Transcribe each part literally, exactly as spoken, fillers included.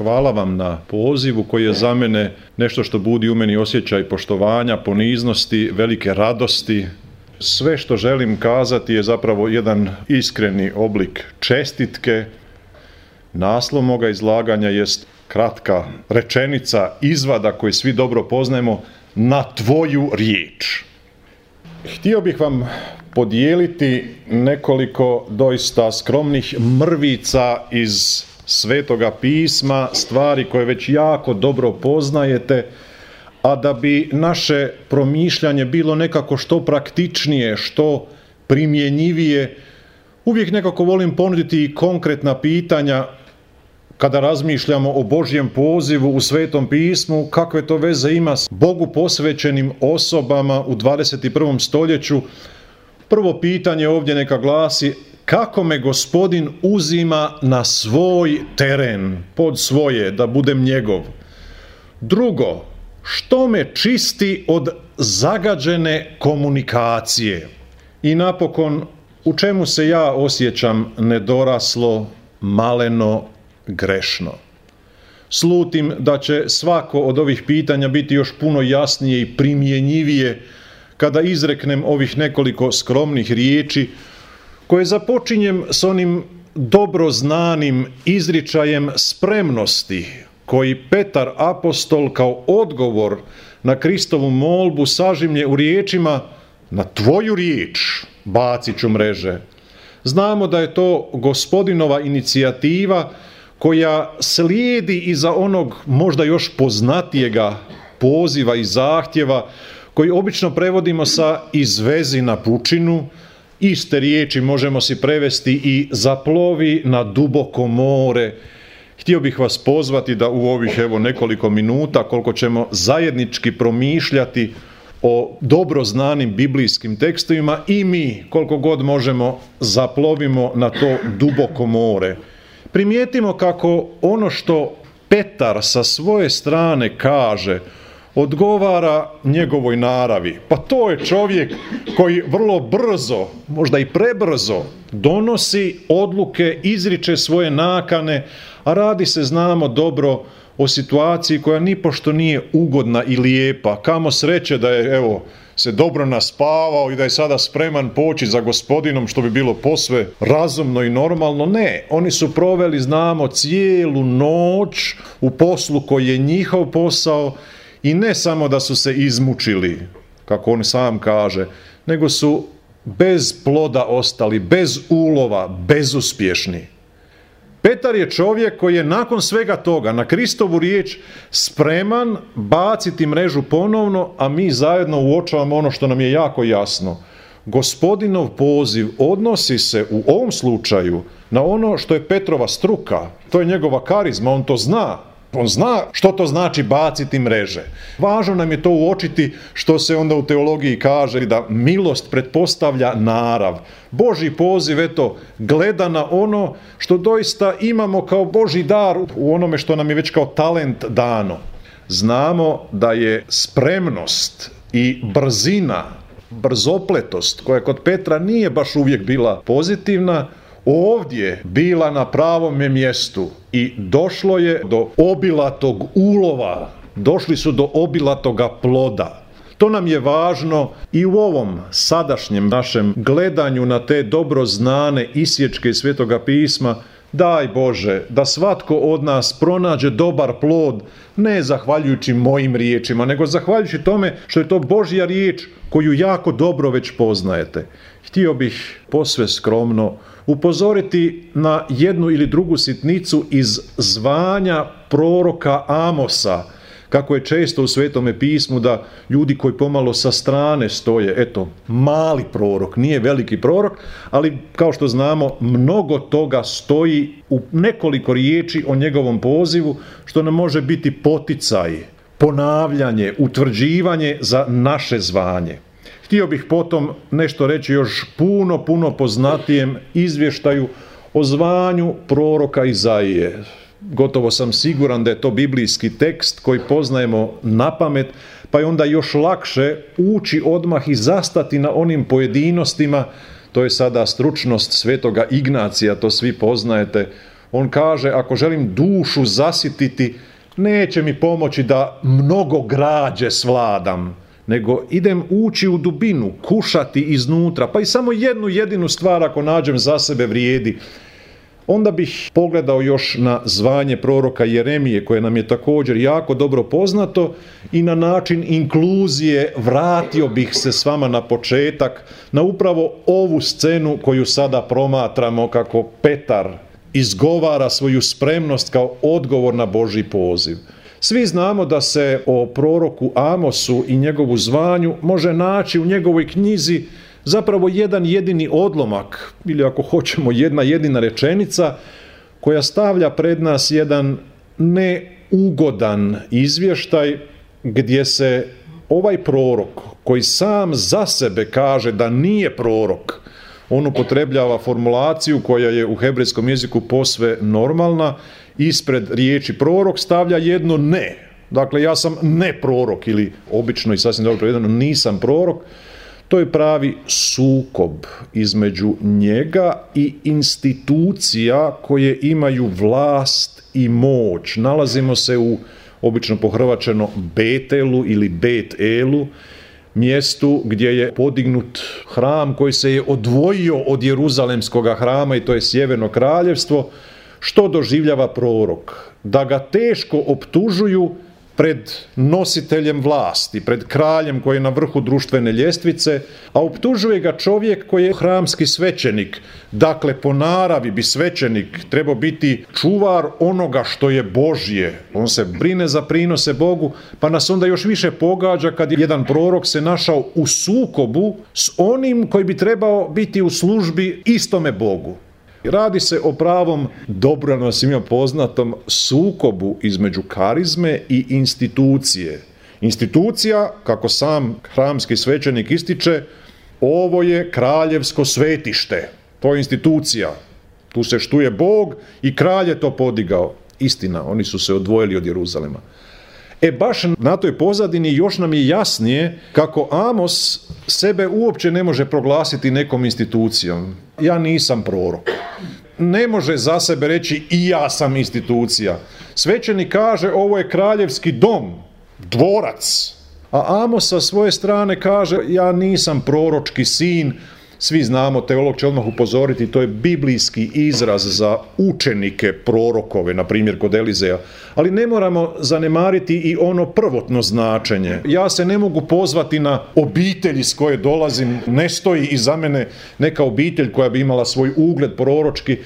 hvala vam na pozivu koji je za mene nešto što budi u meni osjećaj poštovanja, poniznosti, velike radosti. Sve što želim kazati je zapravo jedan iskreni oblik čestitke. Naslov moga izlaganja jest kratka rečenica, izvada koji svi dobro poznajemo, na tvoju riječ. Htio bih vam podijeliti nekoliko doista skromnih mrvica iz Svetoga pisma, stvari koje već jako dobro poznajete, a da bi naše promišljanje bilo nekako što praktičnije, što primjenjivije, uvijek nekako volim ponuditi i konkretna pitanja kada razmišljamo o Božjem pozivu u Svetom pismu, kakve to veze ima s Bogu posvećenim osobama u dvadeset i prvom stoljeću. Prvo pitanje ovdje neka glasi: kako me Gospodin uzima na svoj teren, pod svoje, da budem njegov? Drugo, što me čisti od zagađene komunikacije? I napokon, u čemu se ja osjećam nedoraslo, maleno, grešno? Slutim da će svako od ovih pitanja biti još puno jasnije i primjenjivije kada izreknem ovih nekoliko skromnih riječi koje započinjem s onim dobro znanim izričajem spremnosti koji Petar apostol kao odgovor na Kristovu molbu sažimlje u riječima: na tvoju riječ bacit ću mreže. Znamo da je to Gospodinova inicijativa koja slijedi iza onog možda još poznatijega poziva i zahtjeva koji obično prevodimo sa izvezi na pučinu. Iste riječi možemo si prevesti i zaplovi na duboko more. Htio bih vas pozvati da u ovih evo nekoliko minuta, koliko ćemo zajednički promišljati o dobro znanim biblijskim tekstovima, i mi koliko god možemo zaplovimo na to duboko more. Primijetimo kako ono što Petar sa svoje strane kaže odgovara njegovoj naravi. Pa to je čovjek koji vrlo brzo, možda i prebrzo, donosi odluke, izriče svoje nakane, a radi se, znamo dobro, o situaciji koja nipošto nije ugodna i lijepa. Kamo sreće da je, evo, se dobro naspavao i da je sada spreman poći za Gospodinom, što bi bilo posve razumno i normalno. Ne, oni su proveli, znamo, cijelu noć u poslu koji je njihov posao, i ne samo da su se izmučili, kako on sam kaže, nego su bez ploda ostali, bez ulova, bezuspješni. Petar je čovjek koji je nakon svega toga na Kristovu riječ spreman baciti mrežu ponovno, a mi zajedno uočavamo ono što nam je jako jasno. Gospodinov poziv odnosi se u ovom slučaju na ono što je Petrova struka, to je njegova karizma, on to zna. On zna što to znači baciti mreže. Važno nam je to uočiti, što se onda u teologiji kaže da milost pretpostavlja narav. Božji poziv, eto, gleda na ono što doista imamo kao Božji dar u onome što nam je već kao talent dano. Znamo da je spremnost i brzina, brzopletost, koja kod Petra nije baš uvijek bila pozitivna, ovdje bila na pravome mjestu i došlo je do obilatog ulova, došli su do obilatoga ploda. To nam je važno i u ovom sadašnjem našem gledanju na te dobro znane isječke Svetoga pisma. Daj Bože da svatko od nas pronađe dobar plod, ne zahvaljujući mojim riječima, nego zahvaljujući tome što je to Božja riječ koju jako dobro već poznajete. Htio bih posve skromno upozoriti na jednu ili drugu sitnicu iz zvanja proroka Amosa, kako je često u Svetome pismu da ljudi koji pomalo sa strane stoje, eto, mali prorok, nije veliki prorok, ali kao što znamo, mnogo toga stoji u nekoliko riječi o njegovom pozivu, što nam može biti poticaj, ponavljanje, utvrđivanje za naše zvanje. Htio bih potom nešto reći još puno, puno poznatijem izvještaju o zvanju proroka Izaije. Gotovo sam siguran da je to biblijski tekst koji poznajemo napamet, pa je onda još lakše ući odmah i zastati na onim pojedinostima. To je sada stručnost Svetoga Ignacija, to svi poznajete, On kaže, ako želim dušu zasititi, neće mi pomoći da mnogo građe svladam, nego idem ući u dubinu, kušati iznutra, pa i samo jednu jedinu stvar ako nađem za sebe vrijedi. Onda bih pogledao još na zvanje proroka Jeremije, koje nam je također jako dobro poznato, i na način inkluzije vratio bih se s vama na početak, na upravo ovu scenu koju sada promatramo, kako Petar izgovara svoju spremnost kao odgovor na Božji poziv. Svi znamo da se o proroku Amosu i njegovu zvanju može naći u njegovoj knjizi zapravo jedan jedini odlomak, ili ako hoćemo jedna jedina rečenica, koja stavlja pred nas jedan neugodan izvještaj gdje se ovaj prorok, koji sam za sebe kaže da nije prorok, on upotrebljava formulaciju koja je u hebrejskom jeziku posve normalna, ispred riječi prorok stavlja jedno ne. Dakle, ja sam ne prorok, ili obično i sasvim dobro prevedeno nisam prorok. To je pravi sukob između njega i institucija koje imaju vlast i moć. Nalazimo se u, obično pohrvačeno, Betelu ili Bet-elu, mjestu gdje je podignut hram koji se je odvojio od Jeruzalemskog hrama, i to je Sjeverno kraljevstvo. Što doživljava prorok? Da ga teško optužuju pred nositeljem vlasti, pred kraljem koji je na vrhu društvene ljestvice, a optužuje ga čovjek koji je hramski svećenik. Dakle, po naravi bi svećenik trebao biti čuvar onoga što je Božje. On se brine za prinose Bogu, pa nas onda još više pogađa kad jedan prorok se našao u sukobu s onim koji bi trebao biti u službi istome Bogu. Radi se o pravom, dobro nam svima poznatom, sukobu između karizme i institucije. Institucija, kako sam hramski svećenik ističe, ovo je kraljevsko svetište. To je institucija. Tu se štuje Bog i kralj je to podigao. Istina, oni su se odvojili od Jeruzalema. E baš na toj pozadini još nam je jasnije kako Amos sebe uopće ne može proglasiti nekom institucijom. Ja nisam prorok. Ne može za sebe reći i ja sam institucija. Svećenik kaže ovo je kraljevski dom, dvorac. A Amos sa svoje strane kaže ja nisam proročki sin. Svi znamo, teolog će odmah upozoriti, to je biblijski izraz za učenike prorokove, na primjer kod Elizeja. Ali ne moramo zanemariti i ono prvotno značenje. Ja se ne mogu pozvati na obitelj iz koje dolazim, ne stoji iza mene neka obitelj koja bi imala svoj ugled proročki.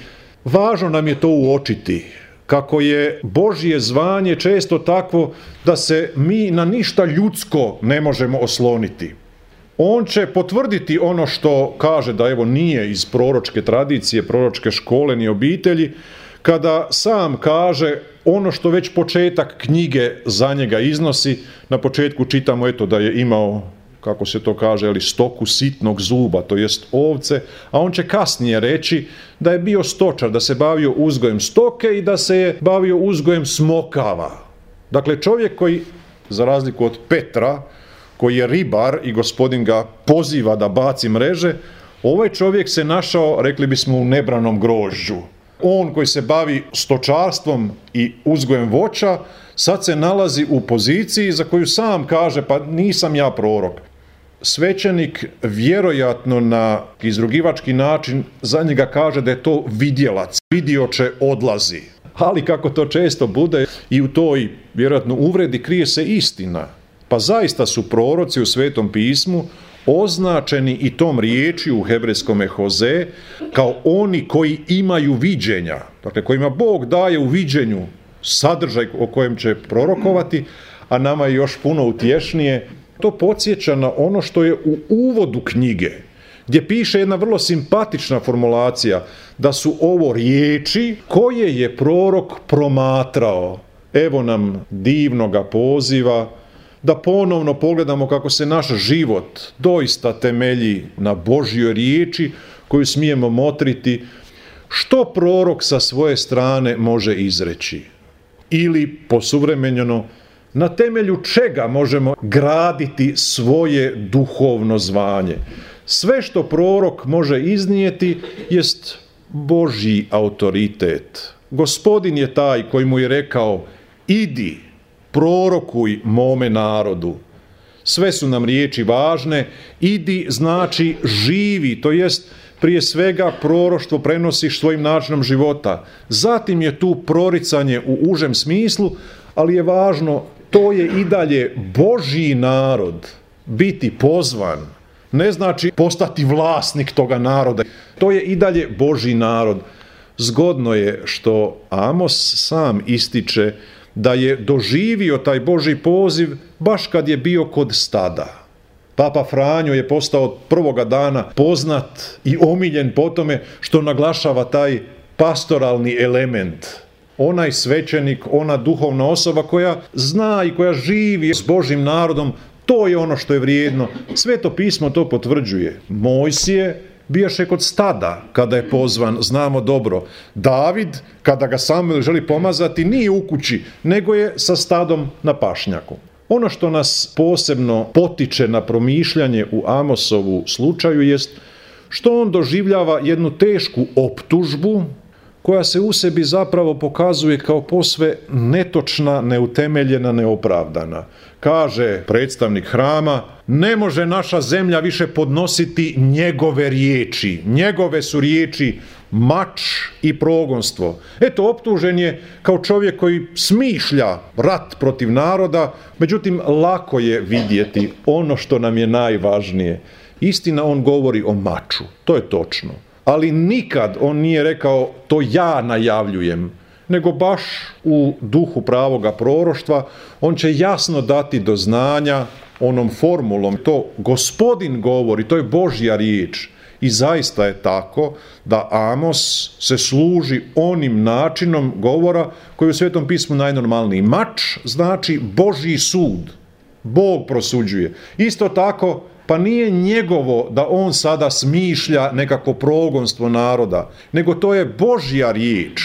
Važno nam je to uočiti, kako je Božje zvanje često takvo da se mi na ništa ljudsko ne možemo osloniti. On će potvrditi ono što kaže da evo nije iz proročke tradicije, proročke škole ni obitelji, kada sam kaže ono što već početak knjige za njega iznosi. Na početku čitamo eto da je imao, kako se to kaže, ali stoku sitnog zuba, to jest ovce, a on će kasnije reći da je bio stočar, da se bavio uzgojem stoke i da se je bavio uzgojem smokava. Dakle, čovjek koji, za razliku od Petra, koji je ribar i gospodin ga poziva da baci mreže, ovaj čovjek se našao, rekli bismo, u nebranom grožđu. On koji se bavi stočarstvom i uzgojem voća, sad se nalazi u poziciji za koju sam kaže, pa nisam ja prorok. Svećenik vjerojatno na izrugivački način za njega kaže da je to vidjelac, vidioče odlazi. Ali kako to često bude, i u toj vjerojatno uvredi krije se istina. Pa zaista su proroci u Svetom pismu označeni i tom riječi u hebrejskome hoze kao oni koji imaju viđenja. Dakle, kojima Bog daje u viđenju sadržaj o kojem će prorokovati, a nama je još puno utješnije. To podsjeća na ono što je u uvodu knjige, gdje piše jedna vrlo simpatična formulacija da su ovo riječi koje je prorok promatrao. Evo nam divnoga poziva da ponovno pogledamo kako se naš život doista temelji na Božjoj riječi koju smijemo motriti. Što prorok sa svoje strane može izreći? Ili, posuvremenjeno, na temelju čega možemo graditi svoje duhovno zvanje? Sve što prorok može iznijeti jest Božji autoritet. Gospodin je taj koji mu je rekao: idi, prorokuj mome narodu. Sve su nam riječi važne. Idi znači živi, to jest prije svega proroštvo prenosiš svojim načinom života. Zatim je tu proricanje u užem smislu, ali je važno, to je i dalje Božji narod. Biti pozvan ne znači postati vlasnik toga naroda. To je i dalje Božji narod. Zgodno je što Amos sam ističe da je doživio taj Božji poziv baš kad je bio kod stada. Papa Franjo je postao od prvoga dana poznat i omiljen po tome što naglašava taj pastoralni element. Onaj svećenik, ona duhovna osoba koja zna i koja živi s Božjim narodom, to je ono što je vrijedno. Sveto pismo to potvrđuje. Mojsije bijaše kod stada kada je pozvan, znamo dobro. David, kada ga Samuel želi pomazati, nije u kući, nego je sa stadom na pašnjaku. Ono što nas posebno potiče na promišljanje u Amosovu slučaju jest što on doživljava jednu tešku optužbu koja se u sebi zapravo pokazuje kao posve netočna, neutemeljena, neopravdana. Kaže predstavnik hrama: ne može naša zemlja više podnositi njegove riječi. Njegove su riječi mač i progonstvo. Eto, optužen je kao čovjek koji smišlja rat protiv naroda, međutim lako je vidjeti ono što nam je najvažnije. Istina, on govori o maču, to je točno. Ali nikad on nije rekao to ja najavljujem, nego baš u duhu pravoga proroštva on će jasno dati do znanja onom formulom, to Gospodin govori, to je Božja riječ. I zaista je tako da Amos se služi onim načinom govora koji je u Svetom pismu najnormalniji. Mač znači Božji sud. Bog prosuđuje. Isto tako, pa nije njegovo da on sada smišlja nekako progonstvo naroda, nego to je Božja riječ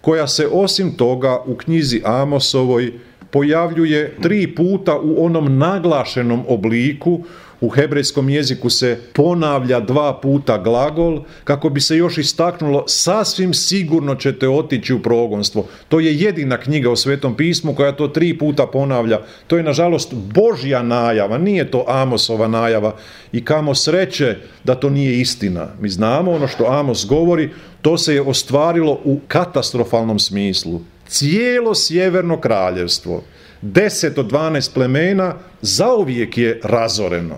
koja se osim toga u knjizi Amosovoj pojavljuje tri puta u onom naglašenom obliku. U hebrejskom jeziku se ponavlja dva puta glagol kako bi se još istaknulo sasvim sigurno ćete otići u progonstvo. To je jedina knjiga u Svetom pismu koja to tri puta ponavlja. To je nažalost Božja najava, nije to Amosova najava i kamo sreće da to nije istina. Mi znamo ono što Amos govori, to se je ostvarilo u katastrofalnom smislu. Cijelo sjeverno kraljevstvo, deset od dvanaest plemena, zauvijek je razoreno.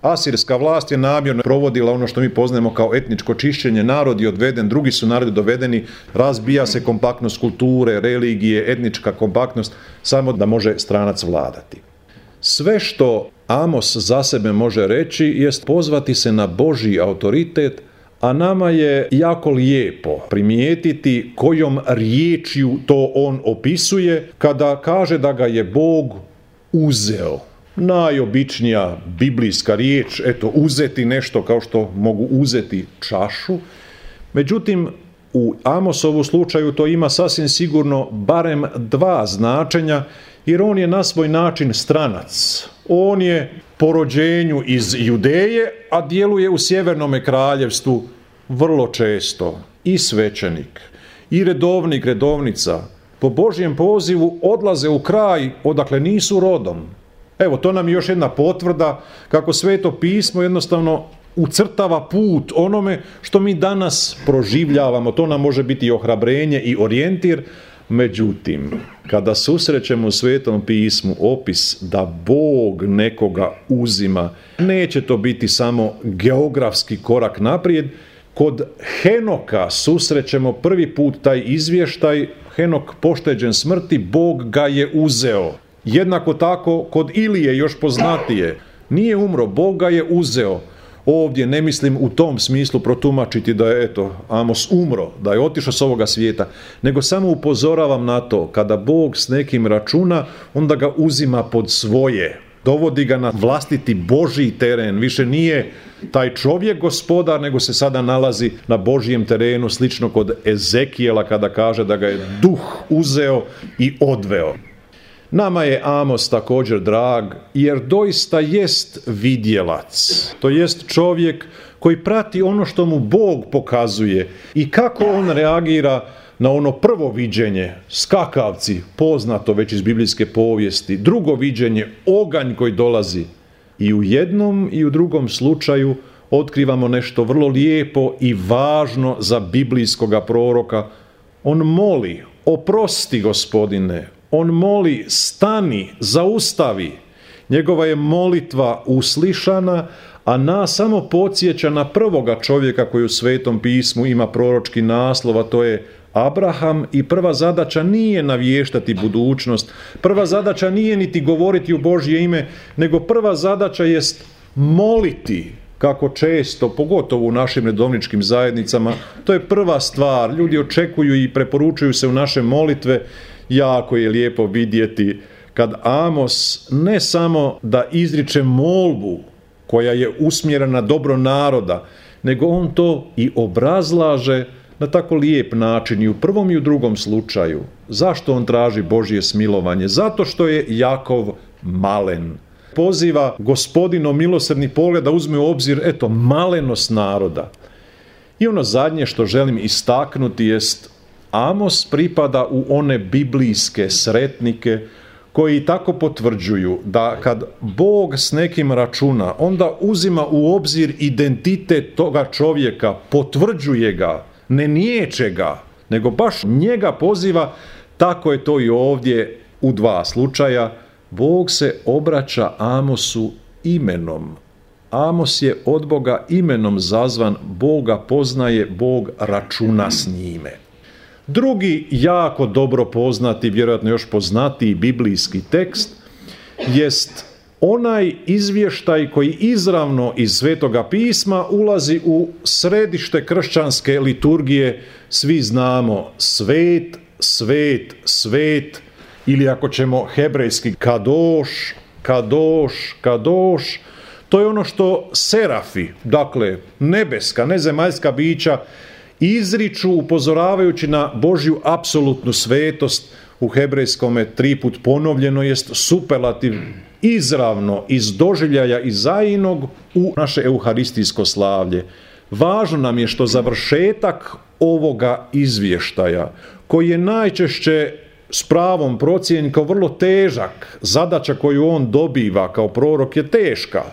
Asirska vlast je namjerno provodila ono što mi poznajemo kao etničko čišćenje, narod je odveden, drugi su narodi dovedeni, razbija se kompaktnost kulture, religije, etnička kompaktnost, samo da može stranac vladati. Sve što Amos za sebe može reći jest pozvati se na Božji autoritet, a nama je jako lijepo primijetiti kojom riječju to on opisuje kada kaže da ga je Bog uzeo. Najobičnija biblijska riječ, eto, uzeti nešto kao što mogu uzeti čašu. Međutim, u Amosovu slučaju to ima sasvim sigurno barem dva značenja, jer on je na svoj način stranac. On je po rođenju iz Judeje, a djeluje u sjevernome kraljevstvu vrlo često. I svećenik, i redovnik, redovnica, po Božjem pozivu odlaze u kraj odakle nisu rodom. Evo, to nam je još jedna potvrda kako Sveto pismo jednostavno ucrtava put onome što mi danas proživljavamo. To nam može biti i ohrabrenje i orijentir. Međutim, kada susrećemo u Svetom pismu opis da Bog nekoga uzima, neće to biti samo geografski korak naprijed. Kod Henoka susrećemo prvi put taj izvještaj, Henok pošteđen smrti, Bog ga je uzeo. Jednako tako kod Ilije još poznatije, nije umro, Bog ga je uzeo. Ovdje ne mislim u tom smislu protumačiti da je eto Amos umro, da je otišao s ovoga svijeta, nego samo upozoravam na to, kada Bog s nekim računa, onda ga uzima pod svoje, dovodi ga na vlastiti Božji teren, više nije taj čovjek gospodar, nego se sada nalazi na Božjem terenu, slično kod Ezekijela kada kaže da ga je duh uzeo i odveo. Nama je Amos također drag, jer doista jest vidjelac, to jest čovjek koji prati ono što mu Bog pokazuje i kako on reagira na ono prvo viđenje, skakavci, poznato već iz biblijske povijesti, drugo viđenje, oganj koji dolazi. I u jednom i u drugom slučaju otkrivamo nešto vrlo lijepo i važno za biblijskoga proroka. On moli, oprosti Gospodine, on moli, stani, zaustavi. Njegova je molitva uslišana, a nas samo podsjeća na prvoga čovjeka koji u Svetom pismu ima proročki naslov, a to je Abraham, i prva zadaća nije navještati budućnost, prva zadaća nije niti govoriti u Božje ime, nego prva zadaća jest moliti, kako često, pogotovo u našim redovničkim zajednicama, to je prva stvar. Ljudi očekuju i preporučuju se u naše molitve. Jako je lijepo vidjeti kad Amos ne samo da izriče molbu koja je usmjerena na dobro naroda, nego on to i obrazlaže na tako lijep način i u prvom i u drugom slučaju. Zašto on traži Božje smilovanje? Zato što je Jakov malen. Poziva Gospodino milosrdni pogled da uzme u obzir, eto, malenost naroda. I ono zadnje što želim istaknuti jest, Amos pripada u one biblijske sretnike koji tako potvrđuju da kad Bog s nekim računa, onda uzima u obzir identitet toga čovjeka, potvrđuje ga, ne niječe ga, nego baš njega poziva. Tako je to i ovdje u dva slučaja. Bog se obraća Amosu imenom. Amos je od Boga imenom zazvan, Boga poznaje, Bog računa s njime. Drugi jako dobro poznati, vjerojatno još poznatiji biblijski tekst jest onaj izvještaj koji izravno iz Svetoga pisma ulazi u središte kršćanske liturgije. Svi znamo svet, svet, svet, ili ako ćemo hebrejski kadoš, kadoš, kadoš. To je ono što serafi, dakle nebeska, nezemaljska bića, izriču upozoravajući na Božju apsolutnu svetost. U hebrejskome triput ponovljeno jest superlativ izravno iz doživljaja Izaijinog u naše euharistijsko slavlje. Važno nam je što završetak ovoga izvještaja, koji je najčešće s pravom procijenjen kao vrlo težak, zadaća koju on dobiva kao prorok je teška.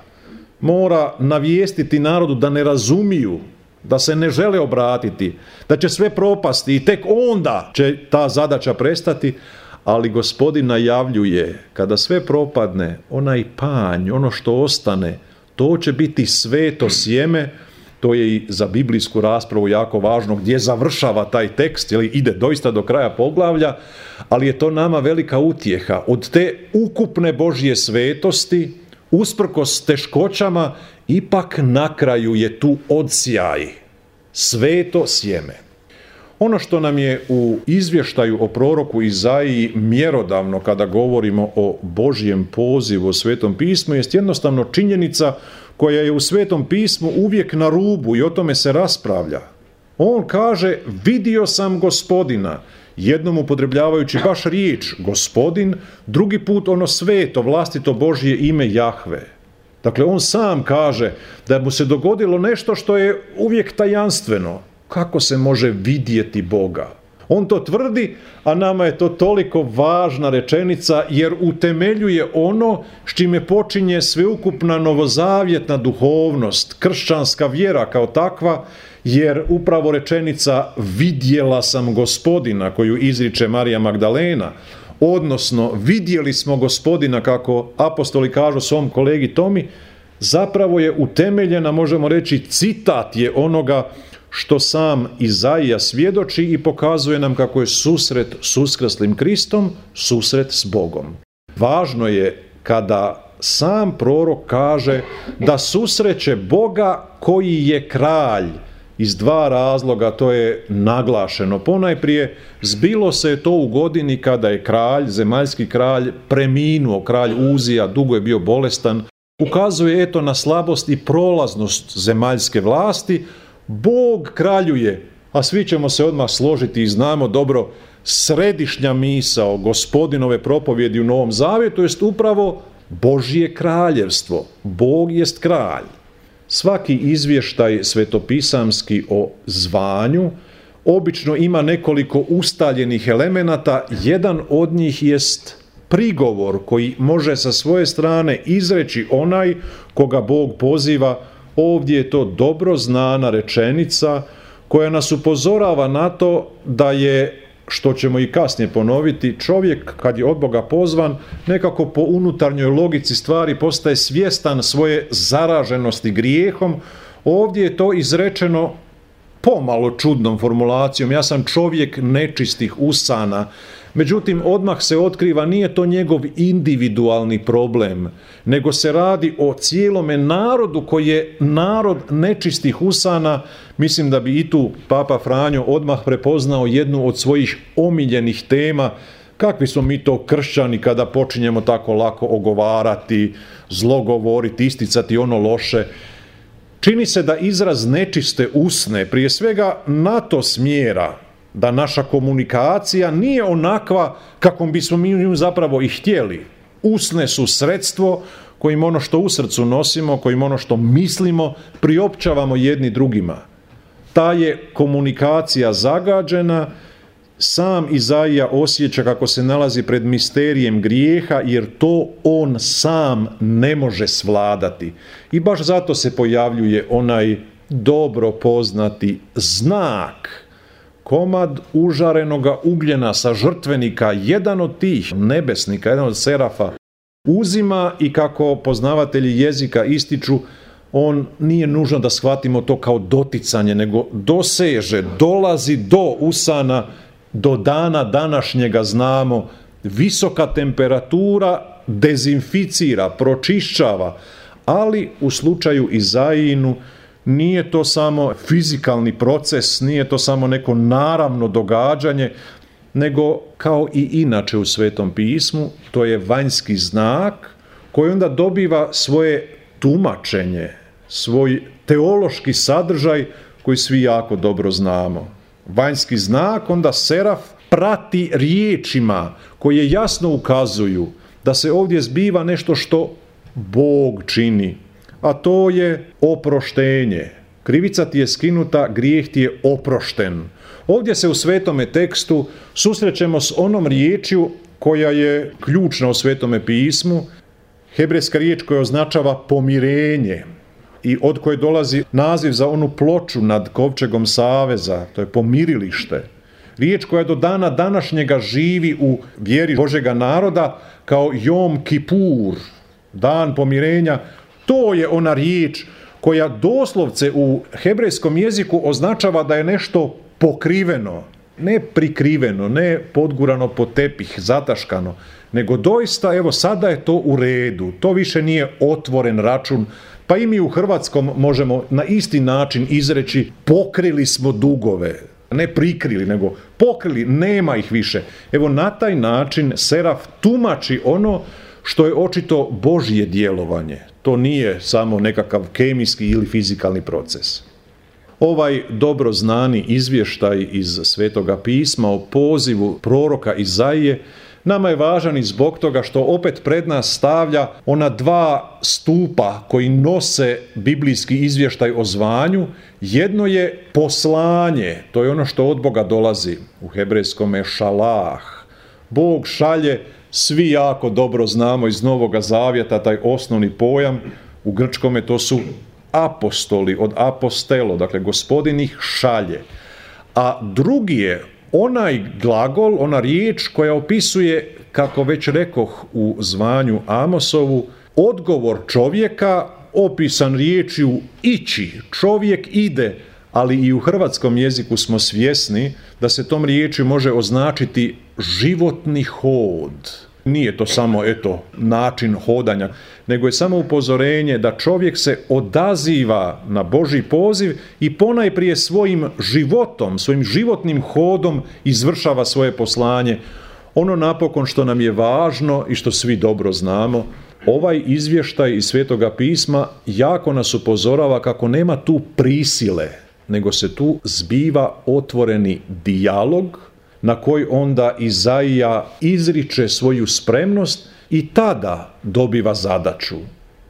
Mora navijestiti narodu da ne razumiju, da se ne žele obratiti, da će sve propasti i tek onda će ta zadaća prestati, ali Gospodin najavljuje, kada sve propadne, onaj panj, ono što ostane, to će biti sveto sjeme. To je i za biblijsku raspravu jako važno gdje završava taj tekst, ili ide doista do kraja poglavlja, ali je to nama velika utjeha. Od te ukupne Božje svetosti, usprkos teškoćama, ipak na kraju je tu odsjaj, sveto sjeme. Ono što nam je u izvještaju o proroku Izaiji mjerodavno kada govorimo o Božjem pozivu u Svetom pismu jest jednostavno činjenica koja je u Svetom pismu uvijek na rubu i o tome se raspravlja. On kaže, vidio sam Gospodina, jednom upotrebljavajući baš riječ Gospodin, drugi put ono sveto, vlastito Božje ime Jahve. Dakle, on sam kaže da mu se dogodilo nešto što je uvijek tajanstveno. Kako se može vidjeti Boga? On to tvrdi, a nama je to toliko važna rečenica jer utemeljuje ono s čime počinje sveukupna novozavjetna duhovnost, kršćanska vjera kao takva, jer upravo rečenica vidjela sam Gospodina koju izriče Marija Magdalena, odnosno vidjeli smo Gospodina, kako apostoli kažu svom kolegi Tomi, zapravo je utemeljena, možemo reći, citat je onoga što sam Izaija svjedoči i pokazuje nam kako je susret s uskrslim Kristom, susret s Bogom. Važno je kada sam prorok kaže da susreće Boga koji je kralj, iz dva razloga. To je naglašeno. Ponajprije, zbilo se to u godini kada je kralj, zemaljski kralj, preminuo, kralj Uzija, dugo je bio bolestan. Ukazuje eto na slabost i prolaznost zemaljske vlasti. Bog kraljuje, a svi ćemo se odmah složiti i znamo dobro, središnja misao Gospodinove propovjedi u Novom Zavjetu jest upravo Božje kraljevstvo. Bog jest kralj. Svaki izvještaj svetopisamski o zvanju, obično ima nekoliko ustaljenih elemenata. Jedan od njih jest prigovor koji može sa svoje strane izreći onaj koga Bog poziva. Ovdje je to dobro znana rečenica koja nas upozorava na to da je, što ćemo i kasnije ponoviti, čovjek kad je od Boga pozvan nekako po unutarnjoj logici stvari postaje svjestan svoje zaraženosti grijehom. Ovdje je to izrečeno pomalo čudnom formulacijom. Ja sam čovjek nečistih usana. Međutim, odmah se otkriva nije to njegov individualni problem, nego se radi o cijelome narodu koji je narod nečistih usana. Mislim da bi i tu Papa Franjo odmah prepoznao jednu od svojih omiljenih tema. Kakvi smo mi to kršćani kada počinjemo tako lako ogovarati, zlogovoriti, isticati ono loše. Čini se da izraz nečiste usne prije svega na to smjera da naša komunikacija nije onakva kakvom bismo mi nju zapravo i htjeli. Usne su sredstvo kojim ono što u srcu nosimo, kojim ono što mislimo priopćavamo jedni drugima. Ta je komunikacija zagađena. Sam Izaija osjeća kako se nalazi pred misterijem grijeha, jer to on sam ne može svladati. I baš zato se pojavljuje onaj dobro poznati znak, komad užarenoga ugljena sa žrtvenika, jedan od tih nebesnika, jedan od serafa, uzima i kako poznavatelji jezika ističu, on nije nužno da shvatimo to kao doticanje, nego doseže, dolazi do usana. Do dana današnjega znamo, visoka temperatura dezinficira, pročišćava, ali u slučaju Izaijinu nije to samo fizikalni proces, nije to samo neko naravno događanje, nego kao i inače u Svetom pismu, to je vanjski znak koji onda dobiva svoje tumačenje, svoj teološki sadržaj koji svi jako dobro znamo. Vanjski znak onda seraf prati riječima koje jasno ukazuju da se ovdje zbiva nešto što Bog čini, a to je oproštenje. Krivica ti je skinuta, grijeh ti je oprošten. Ovdje se u svetome tekstu susrećemo s onom riječju koja je ključna u Svetome pismu, hebrejska riječ koja označava pomirenje i od koje dolazi naziv za onu ploču nad kovčegom saveza, to je pomirilište. Riječ koja do dana današnjega živi u vjeri Božega naroda kao Jom Kipur, dan pomirenja. To je ona riječ koja doslovce u hebrejskom jeziku označava da je nešto pokriveno, ne prikriveno, ne podgurano pod tepih, zataškano, nego doista, evo sada je to u redu, to više nije otvoren račun, pa i mi u hrvatskom možemo na isti način izreći pokrili smo dugove, ne prikrili, nego pokrili, nema ih više. Evo na taj način seraf tumači ono što je očito Božje djelovanje. To nije samo nekakav kemijski ili fizikalni proces. Ovaj dobro znani izvještaj iz Svetoga pisma o pozivu proroka Izaije nama je važan i zbog toga što opet pred nas stavlja ona dva stupa koji nose biblijski izvještaj o zvanju. Jedno je poslanje, to je ono što od Boga dolazi, u hebrejskome šalah. Bog šalje, svi jako dobro znamo iz Novoga Zavjeta taj osnovni pojam, u grčkome to su apostoli, od apostelo, dakle gospodin ih šalje. A drugi je onaj glagol, ona riječ koja opisuje, kako već rekoh u zvanju Amosovu, odgovor čovjeka opisan riječju ići. Čovjek ide, ali i u hrvatskom jeziku smo svjesni da se tom riječju može označiti životni hod. Nije to samo, eto, način hodanja, nego je samo upozorenje da čovjek se odaziva na Božji poziv i ponajprije svojim životom, svojim životnim hodom izvršava svoje poslanje. Ono napokon što nam je važno i što svi dobro znamo, ovaj izvještaj iz Svetoga pisma jako nas upozorava kako nema tu prisile, nego se tu zbiva otvoreni dijalog na koji onda Izaija izriče svoju spremnost i tada dobiva zadaću.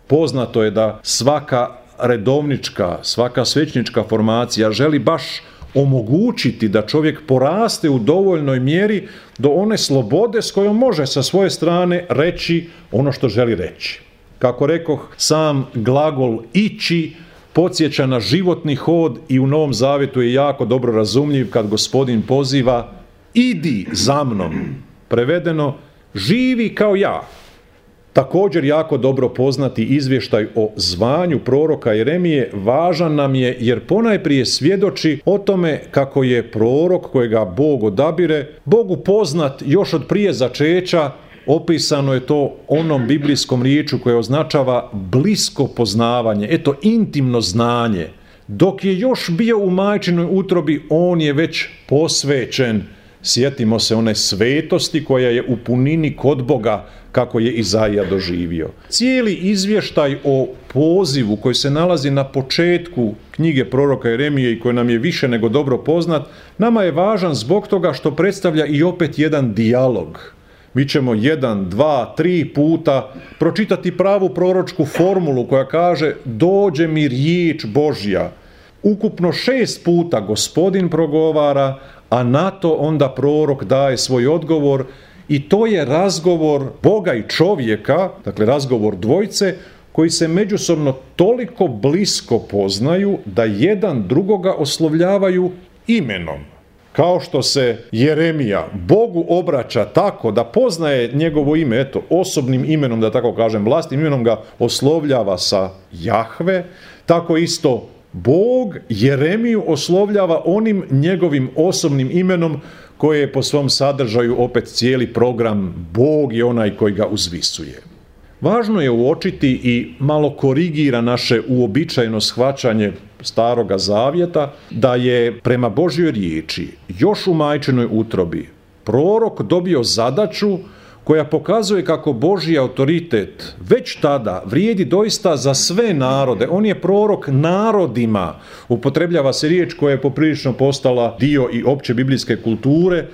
Poznato je da svaka redovnička, svaka svećnička formacija želi baš omogućiti da čovjek poraste u dovoljnoj mjeri do one slobode s kojom može sa svoje strane reći ono što želi reći. Kako rekoh, sam glagol ići podsjeća na životni hod i u Novom Zavjetu je jako dobro razumljiv kad Gospodin poziva idi za mnom. Prevedeno, živi kao ja. Također jako dobro poznati izvještaj o zvanju proroka Jeremije važan nam je jer ponajprije svjedoči o tome kako je prorok kojega Bog odabire, Bogu poznat još od prije začeća. Opisano je to onom biblijskom riječu koja označava blisko poznavanje, eto intimno znanje. Dok je još bio u majčinoj utrobi, on je već posvećen. Sjetimo se one svetosti koja je u punini kod Boga, kako je Izaija doživio. Cijeli izvještaj o pozivu koji se nalazi na početku knjige proroka Jeremije i koji nam je više nego dobro poznat, nama je važan zbog toga što predstavlja i opet jedan dijalog. Mi ćemo jedan, dva, tri puta pročitati pravu proročku formulu koja kaže dođe mi riječ Božja. Ukupno šest puta Gospodin progovara, a na to onda prorok daje svoj odgovor i to je razgovor Boga i čovjeka, dakle razgovor dvojce, koji se međusobno toliko blisko poznaju da jedan drugoga oslovljavaju imenom. Kao što se Jeremija Bogu obraća tako da poznaje njegovo ime, eto, osobnim imenom, da tako kažem, vlastnim imenom ga oslovljava sa Jahve, tako isto Bog Jeremiju oslovljava onim njegovim osobnim imenom koje je po svom sadržaju opet cijeli program Bog je onaj koji ga uzvisuje. Važno je uočiti i malo korigira naše uobičajeno shvaćanje Staroga Zavjeta da je prema Božjoj riječi još u majčinoj utrobi prorok dobio zadaću koja pokazuje kako Božji autoritet već tada vrijedi doista za sve narode. On je prorok narodima. Upotrebljava se riječ koja je poprilično postala dio i opće biblijske kulture.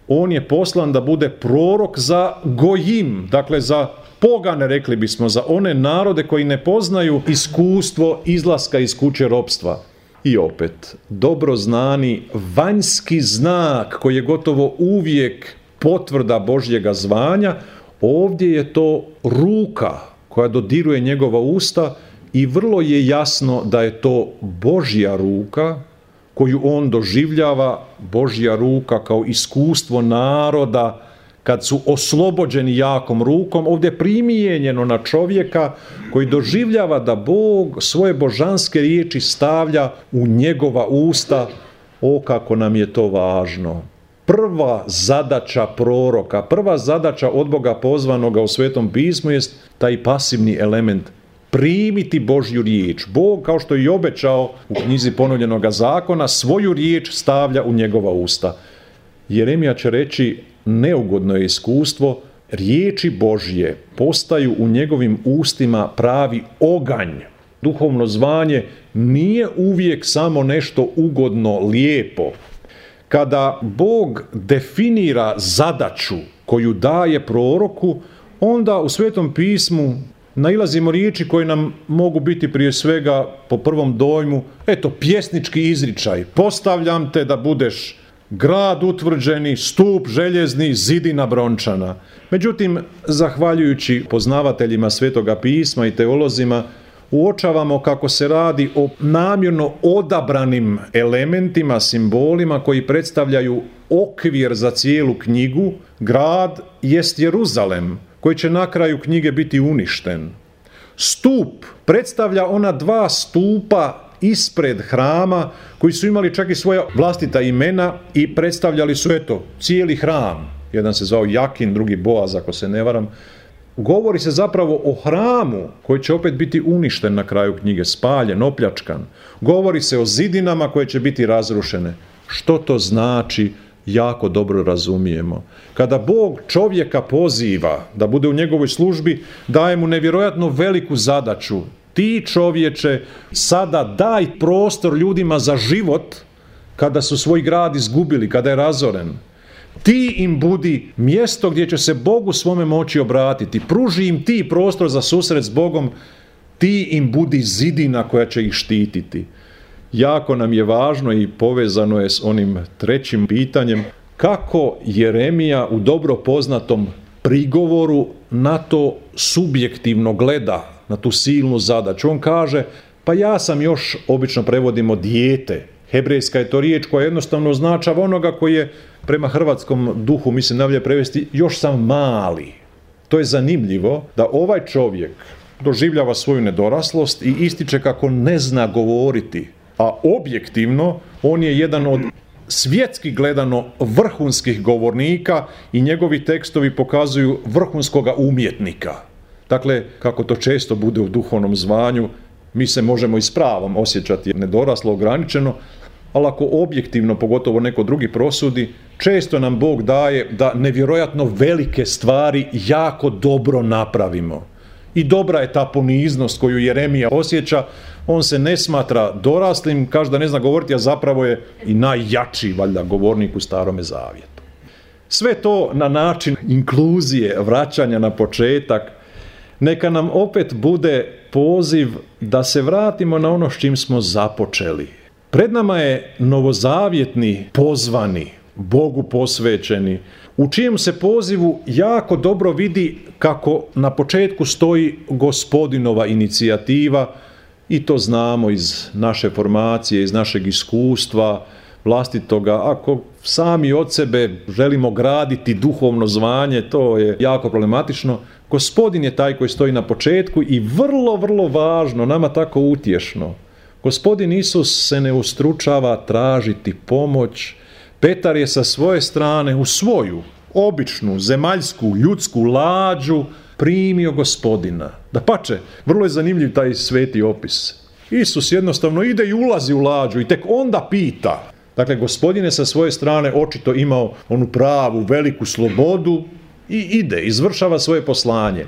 On je poslan da bude prorok za gojim, dakle za pogane, rekli bismo, za one narode koji ne poznaju iskustvo izlaska iz kuće ropstva. I opet, dobro znani vanjski znak koji je gotovo uvijek potvrda Božjega zvanja, ovdje je to ruka koja dodiruje njegova usta i vrlo je jasno da je to Božja ruka koju on doživljava, Božja ruka kao iskustvo naroda kad su oslobođeni jakom rukom, ovdje je primijenjeno na čovjeka koji doživljava da Bog svoje božanske riječi stavlja u njegova usta. O, kako nam je to važno. Prva zadaća proroka, prva zadaća od Boga pozvanoga u Svetom pismu jest taj pasivni element, primiti Božju riječ. Bog, kao što je i obećao u knjizi ponovljenoga zakona, svoju riječ stavlja u njegova usta. Jeremija će reći, neugodno je iskustvo, riječi Božje postaju u njegovim ustima pravi oganj. Duhovno zvanje nije uvijek samo nešto ugodno, lijepo. Kada Bog definira zadaću koju daje proroku, onda u Svetom pismu nailazimo riječi koje nam mogu biti prije svega po prvom dojmu, eto, pjesnički izričaj, postavljam te da budeš grad utvrđeni, stup željezni, zidina brončana. Međutim, zahvaljujući poznavateljima Svetoga pisma i teolozima, uočavamo kako se radi o namjerno odabranim elementima, simbolima koji predstavljaju okvir za cijelu knjigu. Grad jest Jeruzalem, koji će na kraju knjige biti uništen. Stup predstavlja ona dva stupa ispred hrama koji su imali čak i svoja vlastita imena i predstavljali su, eto, cijeli hram. Jedan se zvao Jakin, drugi Boaz, ako se ne varam. Govori se zapravo o hramu koji će opet biti uništen na kraju knjige, spaljen, opljačkan. Govori se o zidinama koje će biti razrušene. Što to znači, jako dobro razumijemo. Kada Bog čovjeka poziva da bude u njegovoj službi, daje mu nevjerojatno veliku zadaću. Ti, čovječe, sada daj prostor ljudima za život kada su svoj grad izgubili, kada je razoren. Ti im budi mjesto gdje će se Bogu svome moći obratiti. Pruži im ti prostor za susret s Bogom. Ti im budi zidina koja će ih štititi. jako nam je važno i povezano je s onim trećim pitanjem, kako Jeremija u dobro poznatom prigovoru na to subjektivno gleda, na tu silnu zadaću. On kaže, pa ja sam još, obično prevodimo dijete. Hebrejska je to riječ koja jednostavno označava onoga koji je prema hrvatskom duhu, mislim najbolje prevesti, još sam mali. To je zanimljivo da ovaj čovjek doživljava svoju nedoraslost i ističe kako ne zna govoriti, a objektivno on je jedan od svjetski gledano vrhunskih govornika i njegovi tekstovi pokazuju vrhunskoga umjetnika. Dakle, kako to često bude u duhovnom zvanju, mi se možemo i s pravom osjećati nedoraslo, ograničeno, ali ako objektivno, pogotovo neko drugi prosudi, često nam Bog daje da nevjerojatno velike stvari jako dobro napravimo. I dobra je ta poniznost koju Jeremija osjeća, on se ne smatra doraslim, kaže da ne zna govoriti, a zapravo je i najjači, valjda, govornik u Starome zavjetu. Sve to na način inkluzije, vraćanja na početak, neka nam opet bude poziv da se vratimo na ono s čim smo započeli. Pred nama je novozavjetni pozvani, Bogu posvećeni, u čijem se pozivu jako dobro vidi kako na početku stoji Gospodinova inicijativa, i to znamo iz naše formacije, iz našeg iskustva vlastitoga. Ako sami od sebe želimo graditi duhovno zvanje, to je jako problematično. Gospodin je taj koji stoji na početku i vrlo, vrlo važno, nama tako utješno. Gospodin Isus se ne ustručava tražiti pomoć. Petar je sa svoje strane u svoju običnu, zemaljsku, ljudsku lađu primio Gospodina. Dapače, vrlo je zanimljiv taj sveti opis. Isus jednostavno ide i ulazi u lađu i tek onda pita. Dakle, Gospodin je sa svoje strane očito imao onu pravu, veliku slobodu i ide, izvršava svoje poslanje.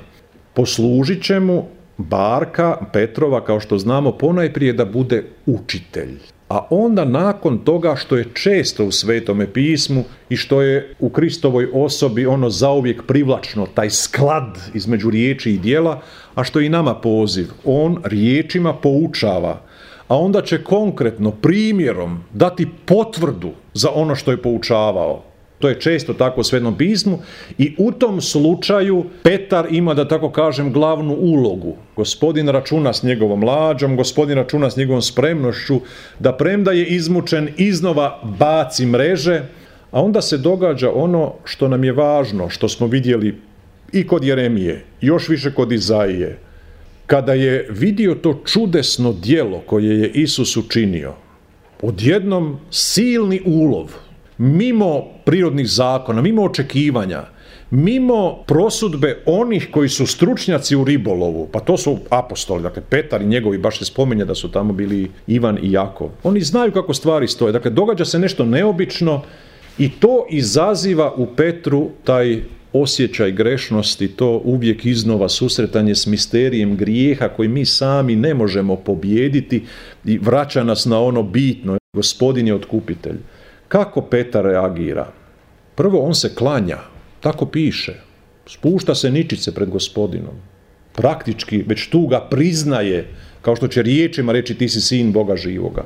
Poslužit će mu barka Petrova, kao što znamo, ponajprije da bude učitelj. A onda nakon toga, što je često u Svetome pismu i što je u Kristovoj osobi ono zauvijek privlačno, taj sklad između riječi i djela, a što je i nama poziv, on riječima poučava, a onda će konkretno primjerom dati potvrdu za ono što je poučavao. To je često tako u Svetom pismu i u tom slučaju Petar ima, da tako kažem, glavnu ulogu. Gospodin računa s njegovom lađom, Gospodin računa s njegovom spremnošću da premda je izmučen iznova baci mreže, a onda se događa ono što nam je važno, što smo vidjeli i kod Jeremije, još više kod Izaije. Kada je vidio to čudesno djelo koje je Isus učinio, odjednom silni ulov, mimo prirodnih zakona, mimo očekivanja, mimo prosudbe onih koji su stručnjaci u ribolovu, pa to su apostoli, dakle Petar i njegovi, baš se spominje da su tamo bili Ivan i Jakov. Oni znaju kako stvari stoje, dakle događa se nešto neobično i to izaziva u Petru taj osjećaj grešnosti, to uvijek iznova susretanje s misterijem grijeha koji mi sami ne možemo pobijediti i vraća nas na ono bitno. Gospodin je otkupitelj. Kako Petar reagira? Prvo, on se klanja, tako piše. Spušta se ničice pred Gospodinom. Praktički, već tu ga priznaje, kao što će riječima reći ti si sin Boga živoga.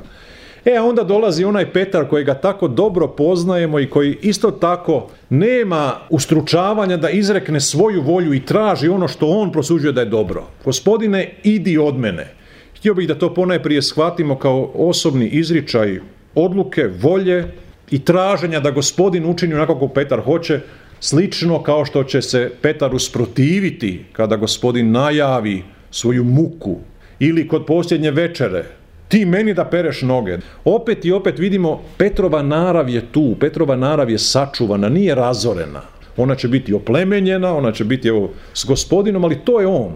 E, a onda dolazi onaj Petar kojega tako dobro poznajemo i koji isto tako nema ustručavanja da izrekne svoju volju i traži ono što on prosuđuje da je dobro. Gospodine, idi od mene. Htio bih da to ponajprije shvatimo kao osobni izričaj odluke, volje i traženja da Gospodin učini onako kako Petar hoće, slično kao što će se Petar usprotiviti kada Gospodin najavi svoju muku ili kod posljednje večere, ti meni da pereš noge. Opet i opet vidimo Petrova narav je tu, Petrova narav je sačuvana, nije razorena. Ona će biti oplemenjena, ona će biti evo, s Gospodinom, ali to je on.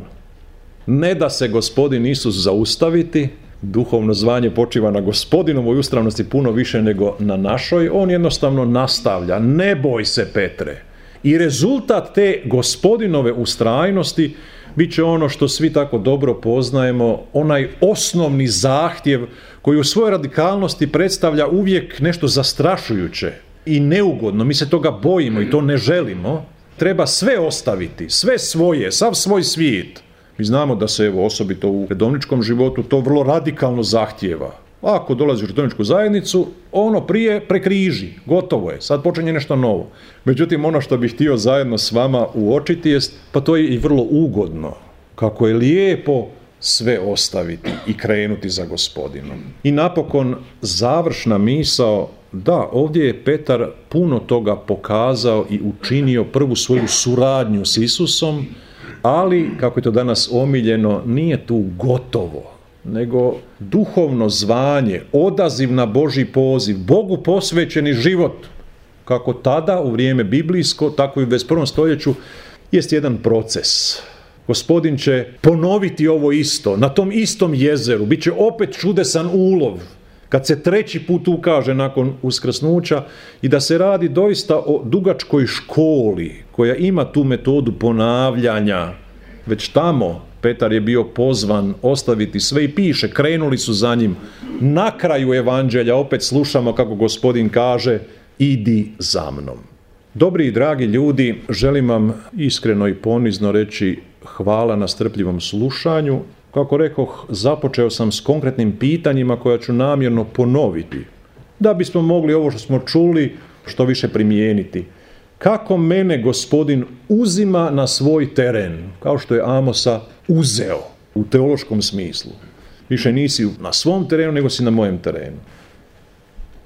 Ne da se Gospodin Isus zaustaviti, duhovno zvanje počiva na Gospodinovoj ustrajnosti puno više nego na našoj, on jednostavno nastavlja, ne boj se Petre. I rezultat te Gospodinove ustrajnosti bit će ono što svi tako dobro poznajemo, onaj osnovni zahtjev koji u svojoj radikalnosti predstavlja uvijek nešto zastrašujuće i neugodno. Mi se toga bojimo i to ne želimo. Treba sve ostaviti, sve svoje, sav svoj svijet. Mi znamo da se evo, osobito u redovničkom životu to vrlo radikalno zahtijeva. Ako dolaziš u katoličku zajednicu, ono prije prekriži, gotovo je, sad počinje nešto novo. Međutim, ono što bih htio zajedno s vama uočiti jest, pa to je i vrlo ugodno, kako je lijepo sve ostaviti i krenuti za Gospodinom. I napokon završna misao, da, ovdje je Petar puno toga pokazao i učinio prvu svoju suradnju s Isusom, ali, kako je to danas omiljeno, nije tu gotovo, nego duhovno zvanje, odaziv na Božji poziv, Bogu posvećeni život, kako tada u vrijeme biblijsko, tako i u dvadeset prvom stoljeću, jest jedan proces. Gospodin će ponoviti ovo isto, na tom istom jezeru, bit će opet čudesan ulov, kad se treći put ukaže nakon uskrsnuća i da se radi doista o dugačkoj školi koja ima tu metodu ponavljanja. Već tamo Petar je bio pozvan ostaviti sve i piše, krenuli su za njim. Na kraju evanđelja opet slušamo kako Gospodin kaže, idi za mnom. Dobri i dragi ljudi, želim vam iskreno i ponizno reći hvala na strpljivom slušanju. Kako rekoh, započeo sam s konkretnim pitanjima koja ću namjerno ponoviti, da bismo mogli ovo što smo čuli što više primijeniti. Kako mene Gospodin uzima na svoj teren, kao što je Amosa uzeo u teološkom smislu. Više nisi na svom terenu, nego si na mojem terenu.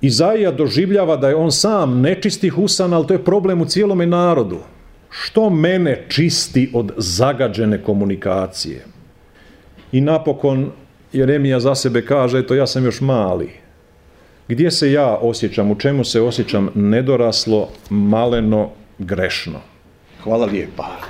Izaija doživljava da je on sam nečistih usana, ali to je problem u cijelome narodu. Što mene čisti od zagađene komunikacije? I napokon Jeremija za sebe kaže, eto ja sam još mali. Gdje se ja osjećam, u čemu se osjećam nedoraslo, maleno, grešno? Hvala lijepa.